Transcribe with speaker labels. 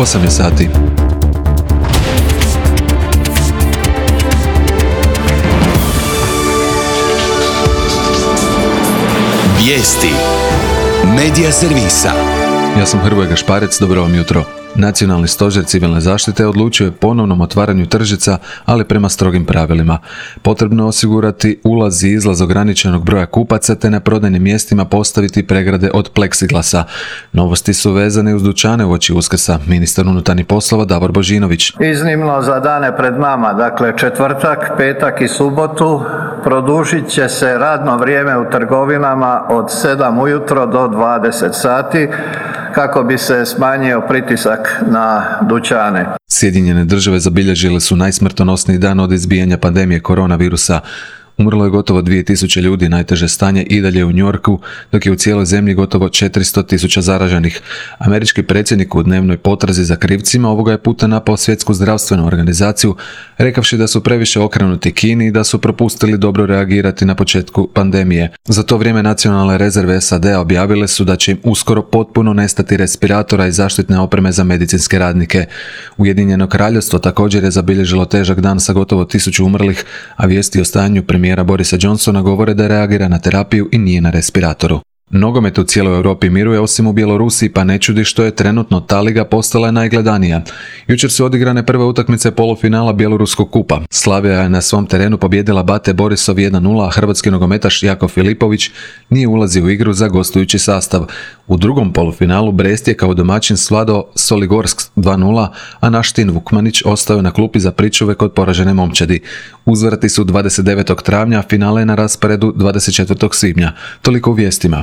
Speaker 1: 8 je sati.
Speaker 2: Vijesti Medija servisa.
Speaker 1: Ja sam Hrvoje Gašparec, dobro vam jutro. Nacionalni stožer civilne zaštite odlučio je ponovnom otvaranju tržnica, ali prema strogim pravilima. Potrebno je osigurati ulaz i izlaz ograničenog broja kupaca te na prodajnim mjestima postaviti pregrade od pleksiglasa. Novosti su vezane uz dućane uoči Uskrsa. Ministar unutarnjih poslova Davor Božinović.
Speaker 3: Iznimno za dane pred nama, dakle četvrtak, petak i subotu, produžit će se radno vrijeme u trgovinama od 7 ujutro do 20 sati kako bi se smanjio pritisak na dućane.
Speaker 1: Sjedinjene države zabilježile su najsmrtonosniji dan od izbijanja pandemije koronavirusa. Umrlo je gotovo 2000 ljudi, najteže stanje i dalje u New Yorku, dok je u cijeloj zemlji gotovo 400.000 zaraženih. Američki predsjednik u dnevnoj potrazi za krivcima ovoga je puta napao Svjetsku zdravstvenu organizaciju, rekavši da su previše okrenuti Kini i da su propustili dobro reagirati na početku pandemije. Za to vrijeme nacionalne rezerve SAD-a objavile su da će im uskoro potpuno nestati respiratora i zaštitne opreme za medicinske radnike. Ujedinjeno Kraljevstvo također je zabilježilo težak dan sa gotovo 1000 umrlih, a vijesti o stanju premijera Borisa Johnsona govore da reagira na terapiju i nije na respiratoru. Nogomet u cijeloj Europi miruje osim u Bjelorusiji, pa ne čudi što je trenutno ta liga postala najgledanija. Jučer su odigrane prve utakmice polufinala Bjeloruskog kupa. Slavija je na svom terenu pobijedila Bate Borisov 1-0, a hrvatski nogometaš Jako Filipović nije ulazio u igru za gostujući sastav. U drugom polufinalu Brest je kao domaćin svladao Soligorsk 2-0, a naš Tin Vukmanić ostao je na klupi za pričuve kod poražene momčadi. Uzvrati su 29. travnja, a finale je na rasporedu 24. svibnja. Toliko u vijestima.